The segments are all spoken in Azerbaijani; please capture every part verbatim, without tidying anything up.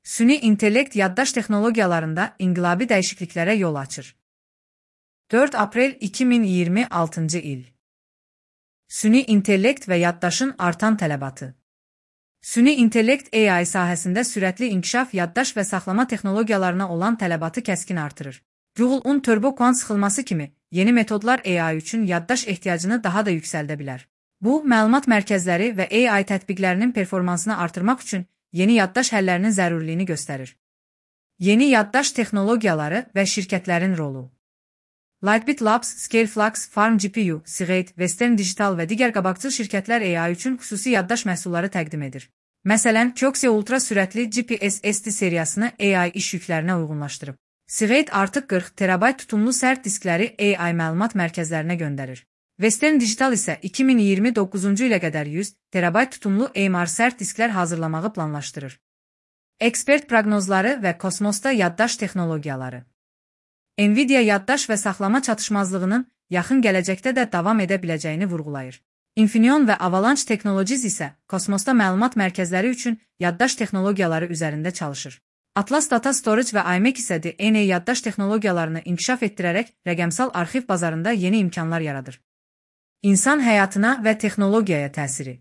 Süni intellekt yaddaş texnologiyalarında inqilabi dəyişikliklərə yol açır. dörd aprel iki min iyirmi altıncı il. Süni intellekt və yaddaşın artan tələbatı. Süni intellekt A I sahəsində sürətli inkişaf yaddaş və saxlama texnologiyalarına olan tələbatı kəskin artırır. Google-un turbo kvant sıxılması kimi yeni metodlar A I üçün yaddaş ehtiyacını daha da yüksəldə bilər. Bu, məlumat mərkəzləri və A I tətbiqlərinin performansını artırmaq üçün yeni yaddaş həllərinin zərurliyini göstərir. Yeni yaddaş texnologiyaları və şirkətlərin rolu. Lightbit Labs, Scaleflux, Farm G P U, Seagate, Western Digital və digər qabaqcıl şirkətlər A I üçün xüsusi yaddaş məhsulları təqdim edir. Məsələn, Kioxia ultra sürətli G P S S D seriyasını A I iş yüklərinə uyğunlaşdırıb. Seagate artıq qırx terabayt tutumlu sərt diskləri A I məlumat mərkəzlərinə göndərir. Western Digital isə iki min iyirmi doqquzuncu ilə qədər yüz terabayt tutumlu A M R sərt disklər hazırlamağı planlaşdırır. Ekspert proqnozları və kosmosda yaddaş texnologiyaları. Nvidia yaddaş və saxlama çatışmazlığının yaxın gələcəkdə də davam edə biləcəyini vurğulayır. Infineon və Avalanche Technologies isə kosmosda məlumat mərkəzləri üçün yaddaş texnologiyaları üzərində çalışır. Atlas Data Storage və I M E C isə D N A yaddaş texnologiyalarını inkişaf etdirərək rəqəmsal arxiv bazarında yeni imkanlar yaradır. İnsan həyatına və texnologiyaya təsiri.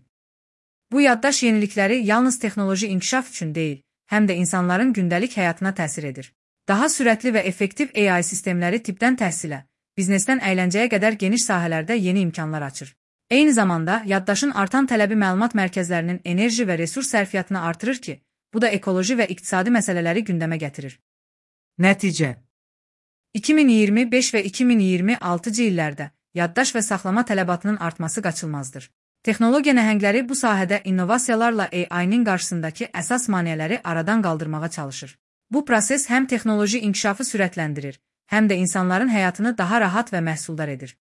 Bu yaddaş yenilikləri yalnız texnoloji inkişaf üçün deyil, həm də insanların gündəlik həyatına təsir edir. Daha sürətli və effektiv A I sistemləri tibbdən təhsilə, biznesdən əyləncəyə qədər geniş sahələrdə yeni imkanlar açır. Eyni zamanda, yaddaşın artan tələbi məlumat mərkəzlərinin enerji və resurs sərfiyyatını artırır ki, bu da ekoloji və iqtisadi məsələləri gündəmə gətirir. Nəticə iki min iyirmi beş və iki min iyirmi altıncı illərdə yaddaş və saxlama tələbatının artması qaçılmazdır. Texnologiya nəhəngləri bu sahədə innovasiyalarla A I-nin qarşısındakı əsas maneələri aradan qaldırmağa çalışır. Bu proses həm texnoloji inkişafı sürətləndirir, həm də insanların həyatını daha rahat və məhsuldar edir.